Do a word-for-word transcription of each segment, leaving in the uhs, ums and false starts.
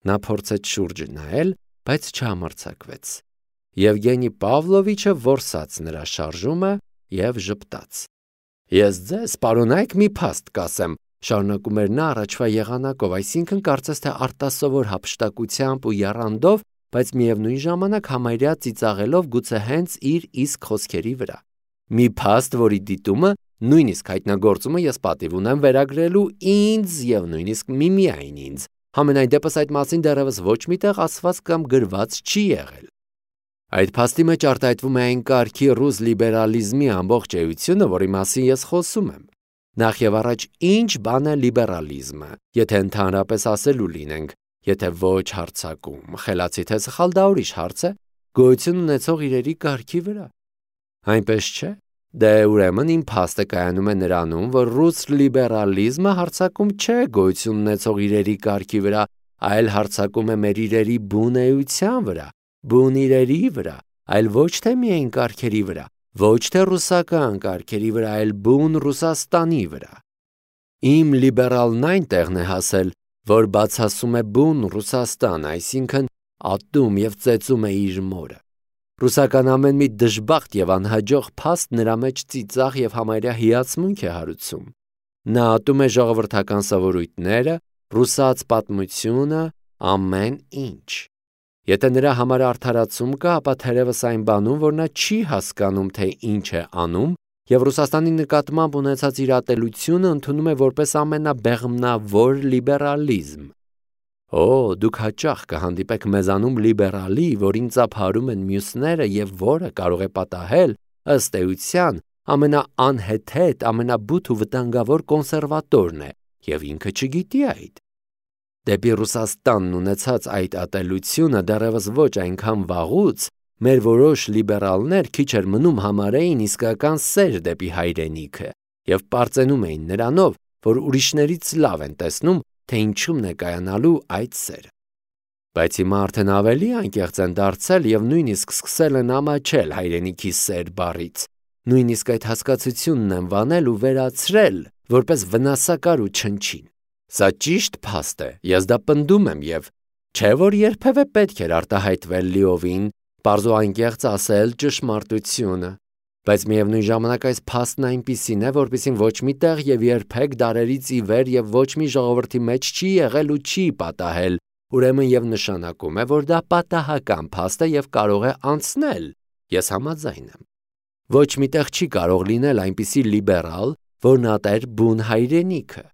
Նա փորձեց շուրջը նայել, բայց չհամարձակվեց։ Եվգենի Պավլովիչը որսաց նրա շարժումը և ժպտաց։ Ես ձեզ, պարոնայք, մի փաստ կասեմ, շարունակում էր նա առաջվա եղանակով, այսինքն կարծես թե արտասովոր հափշտակությամբ ու եռանդով, բայց միևնույն ժամանակ համարյա ծիծաղելով գուցե հենց իր իսկ խոսքերի վրա։ Մի փաստ, որի դիտումը, նույնիսկ հայտնագործումը ես պատիվ ունեմ վերագրելու ինձ և նույնիսկ միմիայն ինձ, համենայն դեպս այդ մասին դեռևս ոչ մի տեղ ասված կամ գրված չի եղել։ Այդ փաստի մեջ արտահայտվում է այն կարգի ռուս լիբերալիզմի ամբողջ էությունը, որի մասին ես խոսում եմ։ Նախ եւ առաջ, ինչ բան է լիբերալիզմը, եթե ընդհանրապես ասելու լինենք, եթե ոչ հարձակում, խելացի թե սխալ, դա ուրիշ հարց է, գոյություն ունեցող իրերի կարգի վրա։ Այնպես չէ։ Դե ուրեմն իմ փաստը կայանում է նրանում, որ ռուս լիբերալիզմը հարձակում չէ գոյություն ունեցող իրերի կարգի վրա, այլ հարձակում է մեր իրերի բուն էության վրա, բուն իրերի վրա, այլ ոչ թե միայն կարգերի վրա, ոչ թե ռուսական կարգերի վրա, այլ բուն Ռուսաստանի վրա։ Իմ լիբերալն այն տեղն է հասել, որ բացասում է բուն Ռուսաստան, այսինքն ատում և ծեծում է իր մորը։ Ռուսական ամեն մի դժբախտ և անհաջող փաստ նրա մեջ ծիծաղ և համարյա հիացմունք է հարուցում։ Նա ատում է ժողովրդական սովորույթները, ռուսաց պատմությունը, ամեն ինչ։ Եթե նրա համար արդարացում կա, ապա թերևս այն բանում, որ նա չի հասկանում, թե ինչ է անում, և Ռուսաստանի նկատմամբ ունեցած իր ատելությունը ընդունում է որպես ամենաբեղմնավոր լիբերալիզմ։ Օ, դուք հաճախ կհանդիպեք մեզանում լիբերալի, որին ծափարում են մյուսները և որը կարող է պատահել, ըստ էության, ամենաանհեթեթ, ամենաբութ ու վտանգավոր կոնսերվատորն է, և ինքը չգիտի այդ։ Դեպի Ռուսաստանն ունեցած այդ ատելությունը դեռևս ոչ այնքան վաղուց, մեր որոշ լիբերալներ քիչ էր մնում համարեին իսկական սեր դեպի հայրենիքը և պարծենում էին նրանով, որ ուրիշներից լավ են տեսնում, թե ինչումն է կայանալու այդ սերը։ Բայց հիմա արդեն ավելի անկեղծ են դարձել և նույնիսկ սկսել են ամաչել հայրենիքի սեր բառից, նույնիսկ այդ հասկացությունն են վանել ու վերացրել, որպես վնասակար ու չնչին։ Սա ճիշտ փաստ է, ես դա պնդում եմ և չէ որ երբևէ պետք էր արտահայտվել լիովին, պարզ ու անկեղծ ասել ճշմարտությունը, բայց միևնույն ժամանակ այս փաստն այնպիսին է, որպեսզի ոչ մի տեղ և երբեք դարերից ի վեր և ոչ մի ժողովրդի մեջ չի եղել ու չի պատահել, ուրեմն և նշանակում է, որ դա պատահական փաստ է և կարող է անցնել, ես համաձայն եմ։ Ոչ մի տեղ չի կարող լինել այնպիսի լիբերալ, որն ատեր բուն հայրենիքը։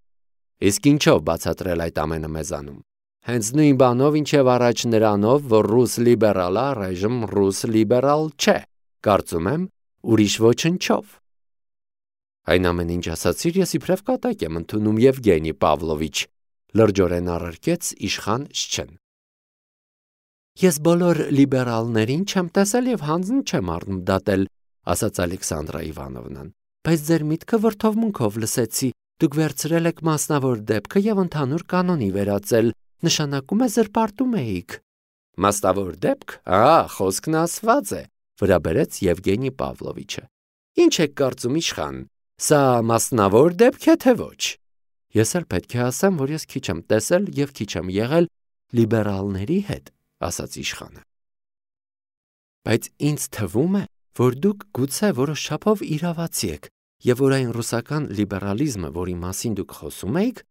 Իսկ ինչով բացատրել այդ ամենը մեզանում։ Հենց նույն բանով, ինչև առաջ նրանով, որ ռուս լիբերալը առայժմ ռուս լիբերալ չէ, կարծում եմ, ուրիշ ոչնչով։ Այն ամեն ինչ ասացիր, ես իբրև կատակ եմ ընդունում, Եվգենի Պավլովիչ, լրջորեն առարկեց իշխան Շչեն։ Ես բոլոր լիբերալներին չեմ տեսել և հանձն չեմ առնում դատել, ասաց Ալեքսանդրա Իվանովնան, բայց ձեր միտքը վրդովմունքով լսեցի, դուք վերցրել եք մասնավոր դեպքը և ընդհանուր կանոնի վերածել, նշանակում է զրպարտում էիք։ Մասնավոր դեպք, ահա, խոսքն ասված է, վրա բերեց Եվգենի Պավլովիչը։ Ինչ եք կարծում, իշխան, սա մասնավոր դեպք է թե ոչ։ Ես էլ պետք է ասեմ, որ ես քիչ եմ տեսել և քիչ եմ եղել լիբերալների հետ, ասաց իշխանը։ Բայց ինձ թվում է, որ դուք գուցե որոշ չափով իրավացի եք, և որ այն ռուսական լիբերալիզմը, որի մասին դուք խոսում եք,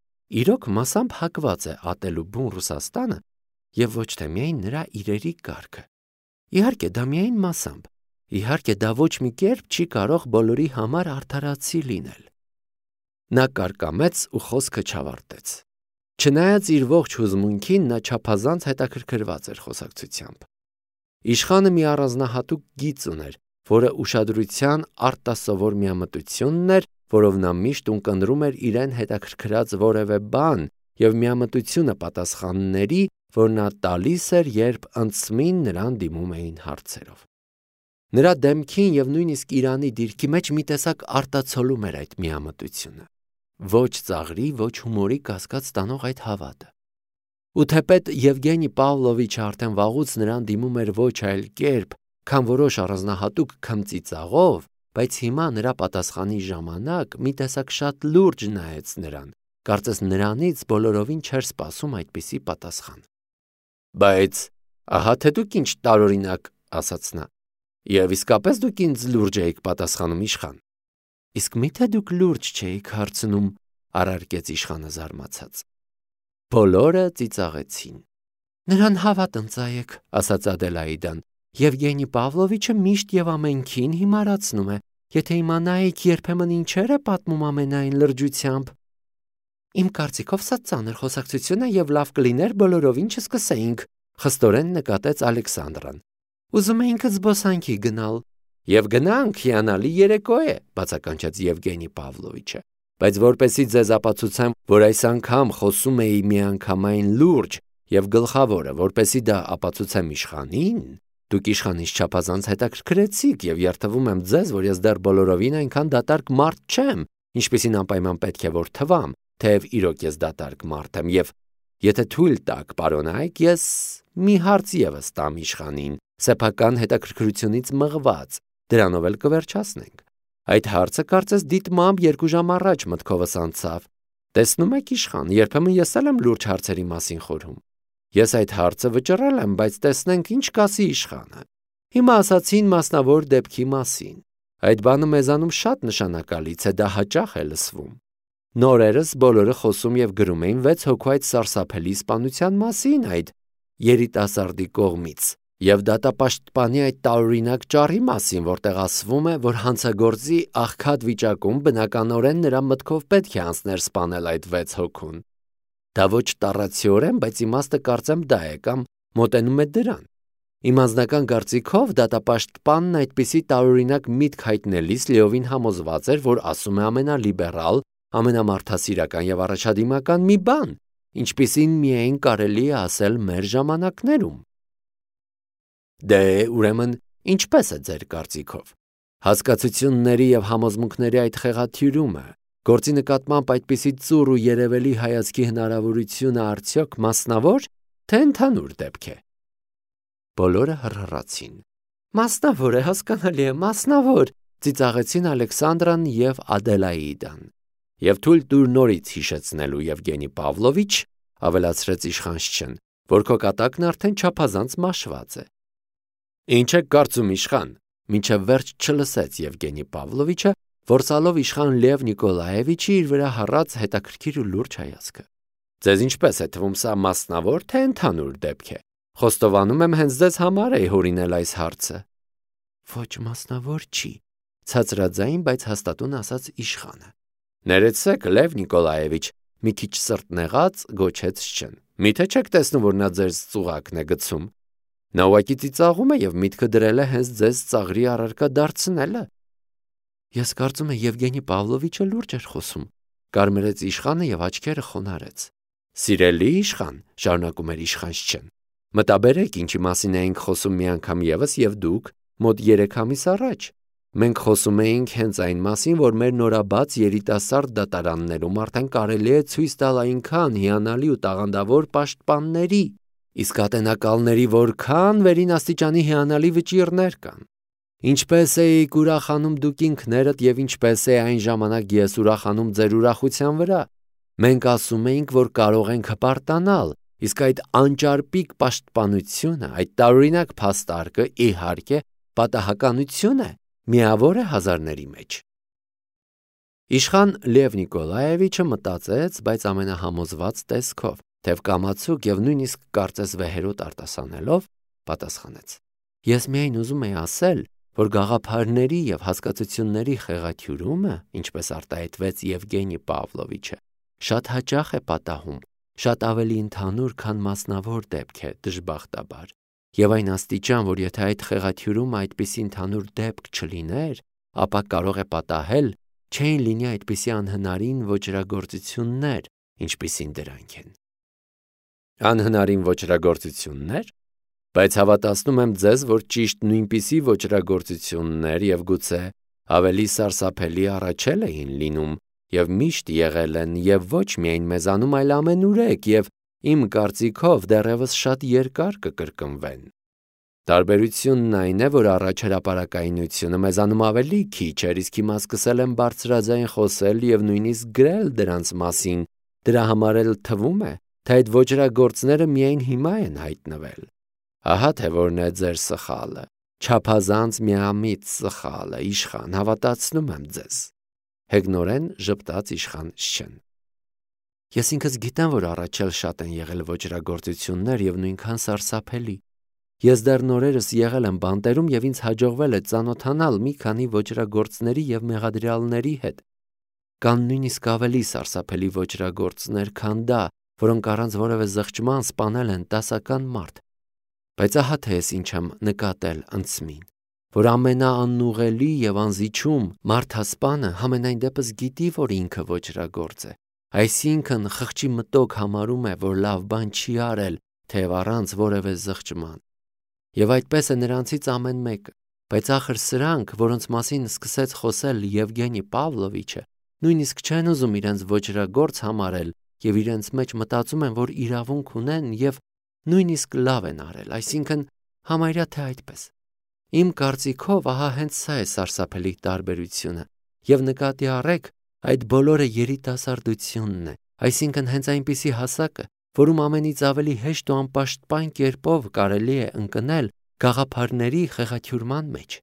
իրոք մասամբ հակված է ատելու բուն Ռուսաստանը և ոչ թե միայն նրա իրերի կարգը։ Իհարկե, դա միայն մասամբ, իհարկե դա ոչ մի կերպ չի կարող բոլորի համար արդարացի լինել։ Նա կարկամեց ու խոսքը չավարտեց։ Չնայած իր ողջ հուզմունքին, նա չափազանց հետաքրքրված էր խոսակցությամբ։ Իշխանը մի առանձնահատուկ գիծ ուներ, որը ուշադրության արտասովոր միամտությունն էր, որով նա միշտ ունկնդրում էր իրեն հետաքրքրած որևէ բան և միամտությունը պատասխանների, որ նա տալիս էր, երբ ընծմին նրան դիմում էին հարցերով։ Նրա դեմքին և նույնիսկ Իրանի դիրքի մեջ մի տեսակ արտացոլում էր այդ միամտությունը։ Ոչ ծաղրի, ոչ հումորի կասկած տանող այդ հավատը։ Ու թեպետ Եվգենի Պավլովիչը արդեն վաղուց նրան դիմում էր ոչ այլ կերպ, քան որոշ առանձնահատուկ քմծիծաղով, բայց հիմա նրա պատասխանի ժամանակ մի տեսակ շատ լուրջ նայեց նրան, կարծես նրանից բոլորովին չէր սպասում այդպիսի պատասխան։ Բայց ահա թե դուք ինչ տարօրինակ, ասաց նա, եւ իսկապես դուք ինձ լուրջ էիք պատասխանում իշխան։ Իսկ միթե դուք լուրջ չէիք հարցնում, առարկեց իշխանը զարմացած։ Բոլորը ծիծաղեցին։ Նրան հավատ ընծայեք, ասաց Ադելաիդան, Եվգենի Պավլովիչը միշտ եւ ամենքին հիմարացնում է, եթե իմանայիք երբեմն ինչեր է պատմում ամենայն լրջությամբ։ Իմ կարծիքով սա ծանր խոսակցություն է եւ լավ կլիներ բոլորովին չսկսեինք, խստորեն նկատեց Ալեքսանդրան։ Ուզում էինք զբոսանքի գնալ։ Եվ գնանք, հիանալի երեկո է, բացականչեց Եվգենի Պավլովիչը, բայց որպեսի ձեզ ապացուցեմ, որ այս անգամ խոսում էի միանգամայն լուրջ եւ գլխավորը, որպեսի դա ապացուցեմ իշխանին, դուք իշխանից չափազանց հետաքրքրեցիք եւ երթվում եմ ձեզ, որ ես դեռ բոլորովին այնքան դատարկ մարդ չեմ, ինչպեսին անպայման պետք է որ թվամ, թեև իրոք ես դատարկ մարդ եմ եւ եթե թույլ տաք, պարոնայք, ես մի հարց եւս տամ իշխանին, սեփական հետաքրքրությունից մղված, դրանով էլ կվերջացնենք։ Այդ հարցը կարծես դիտմամբ երկու ժամ առաջ մտքովս անցավ։ Տեսնում եք իշխան, երբեմն ես էլ եմ լուրջ հարցերի մասին խորհում։ Ես այդ հարցը վճռել եմ, բայց տեսնենք ինչ կասի իշխանը։ Հիմա ասացին մասնավոր դեպքի մասին։ Այդ բանը մեզանում շատ նշանակալից է, դա հաճախ է լսվում։ Նորերս բոլորը խոսում եւ գրում էին վեց հոգու այդ սարսափելի սպանության մասին այդ երիտասարդի կողմից եւ դատապաշտպանի այդ տարօրինակ ճառի մասին, որտեղ ասվում է, որ հանցագործի աղքատ վիճակում բնականորեն նրա մտքով պետք է անցներ սպանել այդ վեց հոգուն։ Դա ոչ տառացիորեն, բայց իմաստը կարծեմ դա է կամ մոտենում է դրան։ Իմ անձնական կարծիքով դատապաշտպանն այդպիսի տարօրինակ միտք հայտնելիս լիովին համոզված էր, որ ասում է ամենալիբերալ, ամենամարդասիրական եւ առաջադիմական մի բան, ինչպիսին միայն կարելի է ասել մեր ժամանակներում։ Դե, ուրեմն, ինչպես է ձեր կարծիքով։ Հասկացությունների եւ համոզմունքների այդ խեղաթյուրումը, գործի նկատմամբ այդպիսի ծուռ ու երևելի հայացքի հնարավորությունը արդյոք մասնավոր, թե ընդհանուր դեպք է։ Բոլորը հռհռացին։ Մասնավոր է, հասկանալի է, մասնավոր, ծիծաղեցին Ալեքսանդրան եւ Ադելաիդան։ Եվ թույլ տուր նորից հիշեցնելու Եվգենի Պավլովիչ, ավելացրեց իշխանչն, որ քո կատակն արդեն չափազանց մաշված է։ Ինչ եք կարծում իշխան, մինչև վերջ չլսեց Եվգենի Պավլովիչը, որսալով իշխան Լև Նիկոլաևիչի իր վրա հառած հետաքրքիր ու լուրջ հայացքը։ Ձեզ ինչպես է թվում սա մասնավոր թե ընդհանուր դեպք է։ Խոստովանում եմ հենց ձեզ համար է հորինել այս հարցը։ Ոչ մասնավոր չի, ցածրաձայն, բայց հաստատուն ասաց իշխանը։ Ներեցեք, Լև Նիկոլաևիչ, մի քիչ սրտնեղած գոչեց Շչեն։ Միթե չեք տեսնում, որ նա ձեր ծուղակն է գցում։ Նա ուղղակի ծիծաղում է եւ միտքը դրել է հենց ձեզ ծաղրի առարկա դարձնելը։ Ես կարծում եմ Եվգենի Պավլովիչը լուրջ էր խոսում, կարմրեց իշխանը եւ աչքերը խոնարհեց։ Սիրելի իշխան, շարունակում էր իշխանչն, մտաբերեք ինչի մասին էինք խոսում մի անգամ եւս եւ դուք մոտ երեք ամիս առաջ։ Մենք խոսում էինք հենց այն մասին, որ մեր նորաբաց երիտասարդ դատարաններում արդեն կարելի է ցույց տալ այնքան հիանալի ու տաղանդավոր պաշտպանների, իսկ ատենակալների որքան վերին աստիճանի հիանալի վճիռներ կան։ Ինչպես էիք ուրախանում դուք ինքներդ եւ ինչպես է այն ժամանակ ես ուրախանում ձեր ուրախության վրա։ Մենք ասում էինք, որ կարող ենք հպարտանալ, իսկ այդ անճարպիկ պաշտպանությունը, այդ տարօրինակ փաստարկը իհարկե պատահականություն է, միավոր է հազարների մեջ։ Իշխան Լև Նիկոլաևիչը մտածեց, բայց ամենահամոզված տեսքով, թեև կամացուկ եւ նույնիսկ կարծես վեհերոտ արտասանելով, պատասխանեց. Ես միայն ուզում եի ասել, որ գաղափարների եւ հասկացությունների խեղաթյուրումը, ինչպես արտահայտվեց Եվգենի Պավլովիչը, շատ հաճախ է պատահում, շատ ավելի ընդհանուր, քան մասնավոր դեպք է, դժբախտաբար։ Եվ այն աստիճան, որ եթե այդ խեղաթյուրումը այդպիսի ընդհանուր դեպք չլիներ, ապա կարող է պատահել, չէին լինի այդպիսի անհնարին ոճրագործություններ, ինչպիսին դրանք են։ Անհնարին ոճրագործություններ, բայց հավատացնում եմ ձեզ, որ ճիշտ նույնպիսի ոճրագործություններ եւ գուցե ավելի սարսափելի առաջել էին լինում եւ միշտ եղել են եւ ոչ միայն մեզանում, այլ ամենուրեք եւ իմ կարծիքով դեռևս շատ երկար կկրկնվեն։ Տարբերությունն այն է, որ առաջ հրապարակայնությունը մեզանում ավելի քիչ էր, իսկ հիմա սկսել են բարձրաձայն խոսել եւ նույնիսկ գրել դրանց մասին։ Դրա համար էլ թվում է, թե այդ ոճրագործները միայն հիմա են հայտնվել։ Ահա թե որն է ձեր սխալը, չափազանց միամիտ սխալը, իշխան, հավատացնում եմ ձեզ։ Հեգնորեն ժպտաց իշխան Շչեն։ Ես ինքս գիտեմ, որ առաջ էլ շատ են եղել ոճրագործություններ եւ նույնքան սարսափելի։ Ես դեռ նորերս եղել եմ բանտերում եւ ինձ հաջողվել է ծանոթանալ մի քանի ոճրագործների եւ մեղադրյալների հետ։ Կան նույնիսկ ավելի սարսափելի ոճրագործներ, քան դա, որոնք առանց որևէ զղջման սպանել են տասական մարդ։ Բայց ահա թե ես ինչ եմ նկատել ընծմին, որ ամենաանուղելի եւ անզիջում մարդասպանը համենայն դեպս գիտի, որ ինքը ոճրագործ է, այսինքն խղճի մտոք համարում է, որ լավ բան չի արել, թեև առանց որևէ զղջման։ Եվ այդպես է նրանցից ամեն մեկը, բայց ախր սրանք, որոնց մասին սկսեց խոսել Եվգենի Պավլովիչը, նույնիսկ չեն ուզում իրենց ոճրագործ համարել եւ իրենց մեջ մտածում են, որ իրավունք ունեն եւ նույնիսկ լավ են արել, այսինքն համարյա թե այդպես։ Իմ կարծիքով ահա հենց սա է սարսափելի տարբերությունը, եւ նկատի առեք, այդ բոլորը երիտասարդությունն է, այսինքն հենց այնպիսի հասակը, որում ամենից ավելի հեշտ ու անպաշտպան կերպով կարելի է ընկնել գաղափարների խեղաթյուրման մեջ։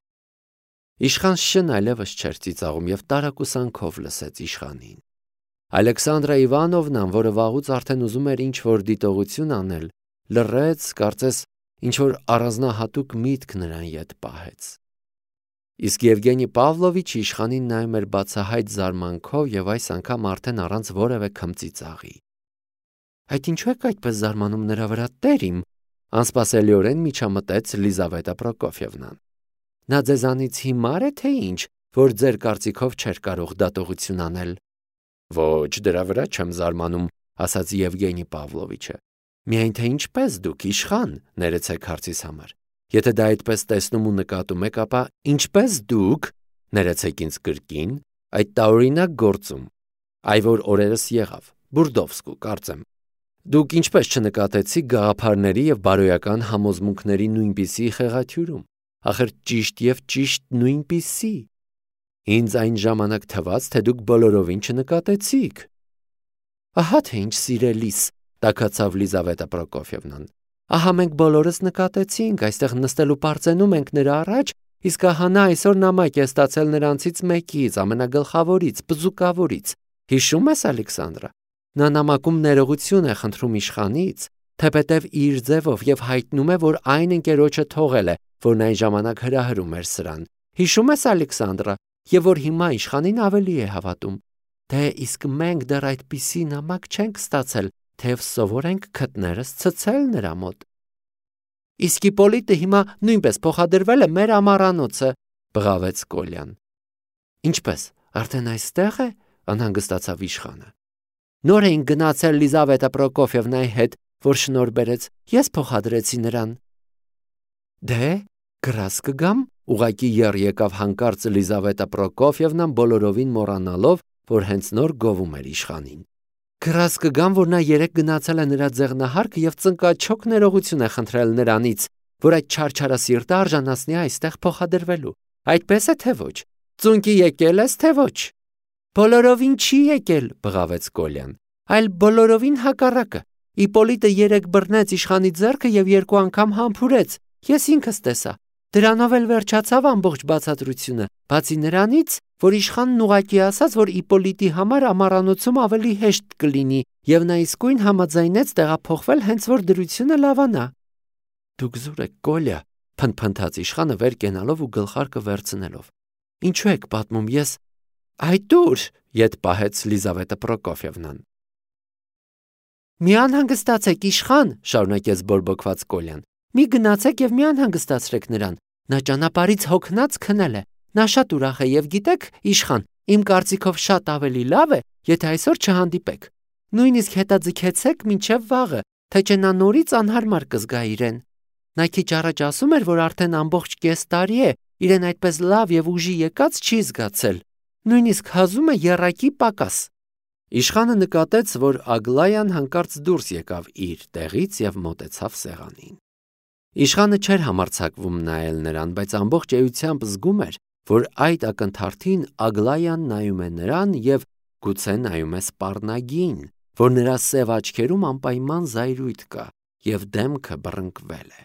Իշխան Շչեն այլևս չէր ծիծաղում եւ տարակուսանքով լսեց իշխանին։ Ալեքսանդրա Իվանովնան, որը վաղուց արդեն ուզում էր ինչ-որ դիտողություն անել, լռեց, կարծես ինչ-որ առանձնահատուկ միտք նրան ետ պահեց։ Իսկ Եվգենի Պավլովիչը իշխանին նայում էր բացահայտ զարմանքով եւ այս անգամ արդեն առանց որևէ քմծիծաղի։ Այդ ինչու եք այդպես զարմանում նրա վրա, տեր իմ, անսպասելիորեն միջամտեց Լիզավետա Պրոկոֆիևնան։ Նա ձեզանից հիմար է թե ինչ, որ ձեր կարծիքով չէր կարող դատողություն անել։ Ոչ, դրա վրա չեմ զարմանում, ասաց Եվգենի Պավլովիչը։ Միայն թե ինչպես դուք իշխան, ներեցեք հարցիս համար։ Եթե դա այդպես տեսնում ու նկատում եք, ապա ինչպես դուք, ներեցեք ինձ կրկին, այդ տարօրինակ գործում, այ որ օրերս եղավ, Բուրդովսկու, կարծեմ։ Դուք ինչպես չնկատեցիք գաղափարների եւ բարոյական համոզմունքների նույնպիսի խեղաթյուրում, ախր ճիշտ եւ ճիշտ նույնպիսի։ Ինձ այն ժամանակ թվաց, թե դուք բոլորովին չնկատեցիք։ Ահա թե ինչ սիրելիս, տաքացավ Լիզավետա Պրոկոֆիևնան։ Ահա մենք բոլորս նկատեցինք, այստեղ նստելու պարծենում ենք նրա առաջ, իսկ ահա նա այսօր նամակ է ստացել նրանցից մեկից, ամենագլխավորից, բզուկավորից։ Հիշում ես, Ալեքսանդրա։ Նա նամակում ներողություն է խնդրում իշխանից, թեպետև իր ձևով եւ հայտնում է, որ այն ընկերոջը թողել է, որն այն ժամանակ հրահրում էր սրան։ Հիշում ես, Ալեքսանդրա, եւ որ հիմա իշխանին ավելի է հավատում։ Դե իսկ մենք դեռ այդպիսի նամակ չենք ստացել, թեև սովոր ենք քթներս ցցել նրա մոտ։ Իսկ Իպոլիտը հիմա նույնպես փոխադրվել է մեր ամառանոցը, բղավեց Կոլյան։ Ինչպես, արդեն այստեղ է, անհանգստացավ իշխանը։ Նոր էին գնացել Լիզավետա Պրոկոֆիևնայի հետ, որ շնորհ բերեց, ես փոխադրեցի նրան։ Դե, գրաս կգամ, ուղակի եռ եկավ հանկարծ Լիզավետա Պրոկոֆիևնան բոլորովին մոռանալով, որ հենց նոր գովում էր իշխանին։ Գրաս կգամ, որ նա երեք գնացել է նրա ձեղնահարկը եւ ծնկաչոք ներողություն է խնդրել նրանից, որ այդ չարչարասիրտը արժանացնի այստեղ փոխադրվելու։ Այդպես է թե ոչ։ Ծունկի եկել ես թե ոչ։ Բոլորովին չի եկել, բղավեց Կոլյան, այլ բոլորովին հակառակը։ Իպոլիտը երեք բռնեց իշխանի ձեռքը եւ երկու անգամ համբուրեց։ Ես ինքս տեսա։ Դրանով էլ վերջացավ ամբողջ բացատրությունը, բացի նրանից, որ իշխանն ուղակի ասաց, որ Իպոլիտի համար ամառանոցում ավելի հեշտ կլինի, եւ նա իսկույն համաձայնեց տեղափոխվել, հենց որ դրությունը լավանա։ Դուք զուր եք, Կոլյա, փնփնթաց իշխանը վեր կենալով ու գլխարկը վերցնելով։ Ինչու եք պատմում, ես Այ դուր, ետ պահեց Լիզավետա Պրոկոֆիևնան։ Մի անհանգստացեք, իշխան, շարունակեց բորբոքված Կոլյան։ Մի գնացեք եւ մի անհանգստացրեք նրան։ Նա ճանապարհից հոգնած քնել է։ Նա շատ ուրախ է եւ գիտեք, իշխան, իմ կարծիքով շատ ավելի լավ է, եթե այսօր չհանդիպեք։ Նույնիսկ հետաձգեցեք մինչեւ վաղը, թե չէ նա նորից անհարմար կզգա իրեն։ Նա քիչ առաջ ասում էր, որ արդեն ամբողջ կես տարի է, իրեն այդպես լավ եւ ուժի եկած չի զգացել։ Նույնիսկ հազում է եռակի պակաս։ Իշխանը նկատեց, որ Ագլայան հանկարծ դուրս եկավ իր տեղից եւ մոտեցավ սեղանին։ Իշխանը չէր համարձակվում նայել նրան, բայց ամբողջ էությամբ զգում էր, որ այդ ակնթարթին Ագլայան նայում է նրան եւ գուցե նայում է սպառնագին, որ նրա սև աչքերում անպայման զայրույթ կա և դեմքը բռնկվել է։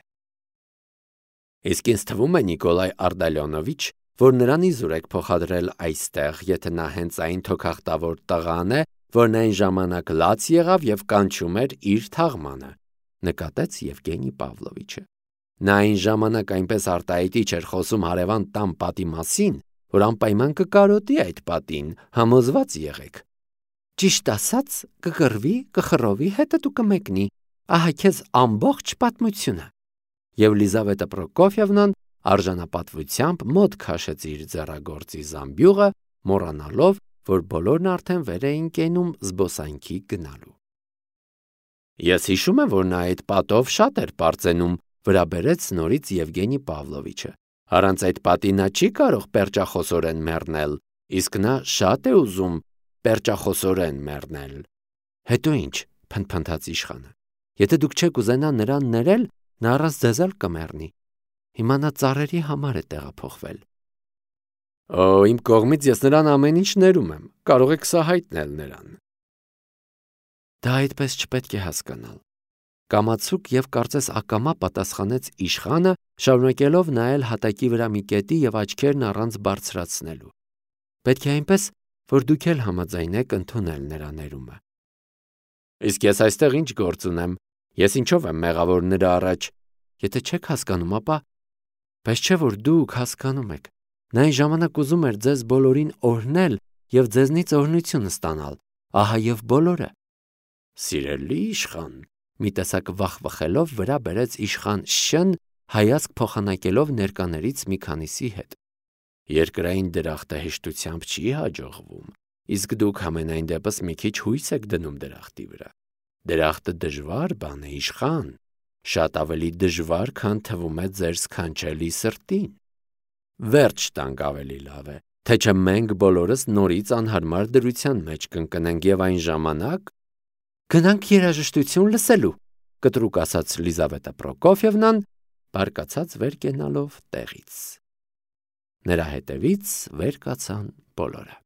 Իսկ ինձ թվում է, Նիկոլայ Արդալյոնովիչ, որ նրան իզուր եք փոխադրել այստեղ, եթե նա հենց այն թոքախտավոր տղան է, որն այն ժամանակ լաց եղավ և կանչում էր իր թաղմանը, նկատեց Եվգենի Պավլովիչը։ Նա այն ժամանակ այնպես արտահայտիչ էր խոսում հարևան տան պատի մասին, որ անպայման կկարոտի այդ պատին, համոզված եղեք։ Ճիշտ ասած, կկռվի, կխռովի, հետը դու կմեկնի, ահա քեզ ամբողջ պատմությունը։ Եվ Լիզավետա Պրոկոֆյևնան արժանապատվությամբ մոտ քաշեց իր ձեռագործի զամբյուղը, մոռանալով, որ բոլորն արդեն վեր էին կենում զբոսանքի գնալու։ Ես հիշում եմ, որ նա այդ պատով շատ էր պարծենում, վրա բերեց նորից Եվգենի Պավլովիչը։ Առանց այդ պատի նա չի կարող պերճախոսորեն մեռնել, իսկ նա շատ է ուզում պերճախոսորեն մեռնել։ Հետո ինչ, փնթփնթաց իշխանը։ Եթե դուք չեք ուզենա նրան ներել, նա առանց ձեզ էլ կմեռնի։ Հիմա նա ծառերի համար է տեղափոխվել։ Օ, իմ կողմից ես նրան ամեն ինչ ներում եմ, կարող եք սա հայտնել նրան։ Դա այդպես չպետք է հասկանալ։ Կամացուկ և կարծես ակամա պատասխանեց իշխանը, շարունակելով նայել հատակի վրա մի կետի և աչքերն առանց բարձրացնելու։ Պետք է այնպես, որ դուք էլ համաձայնեք ընդունել նրա ներումը։ Իսկ ես այստեղ ինչ գործ ունեմ, ես ինչով եմ մեղավոր նրա առաջ, եթե չեք հասկանում, ապա բայց չէ որ դուք հասկանում եք։ Նա այն ժամանակ ուզում էր ձեզ բոլորին օրհնել և ձեզնից օրհնություն ստանալ, ահա և բոլորը։ Սիրելի իշխան, մի տեսակ վախվխելով վրա բերեց իշխան Շ-ն, հայացք փոխանակելով ներկաներից մի քանիսի հետ։ Երկրային դրախտը հեշտությամբ չի հաջողվում, իսկ դուք համենայն դեպս մի քիչ հույս եք դնում դրախտի վրա։ Դրախտը դժվար բան է, իշխան, շատ ավելի դժվար, քան թվում է ձեր սքանչելի սրտին։ Վերջ տանք ավելի լավ է, թե չէ մենք բոլորս նորից անհարմար դրության մեջ կընկնենք և այն ժամանակ գնանք երաժշտություն լսելու, կտրուկ ասաց Լիզավետա Պրոկոֆյևնան, բարկացած վեր կենալով տեղից։ Նրա հետևից վեր կացան բոլորը։